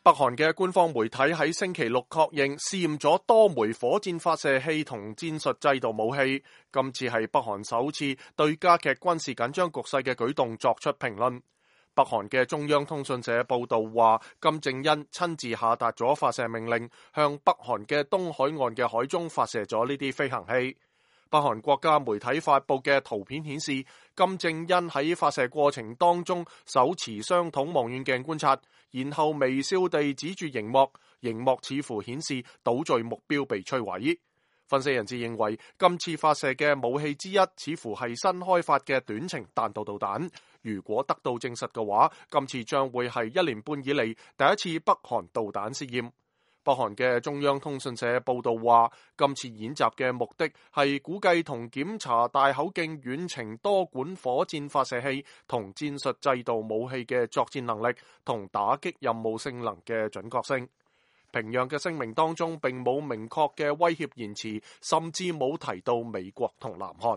北韓嘅官方媒體喺星期六確認試驗咗多枚火箭發射器同戰術制導武器，今次係北韓首次對加劇軍事緊張局勢嘅舉動作出評論。北韓嘅中央通訊社報道話，金正恩親自下達咗發射命令，向北韓嘅東海岸嘅海中發射咗呢啲飛行器。北韓國家媒體發布嘅圖片顯示，金正恩喺發射過程當中手持雙筒望遠鏡觀察，然後微笑地指住熒幕，熒幕似乎顯示島嶼目標被摧毀。分析人士認為，今次發射嘅武器之一似乎係新開發嘅短程彈道導彈。如果得到證實嘅話，今次將會係1年半以嚟第一次北韓導彈試驗。北韓嘅中央通訊社報道話，今次演習嘅目的係估計同檢查大口徑遠程多管火箭發射器同戰術制導武器嘅作戰能力同打擊任務性能嘅準確性。平壤嘅聲明當中並冇明確嘅威脅言辭，甚至冇提到美國同南韓。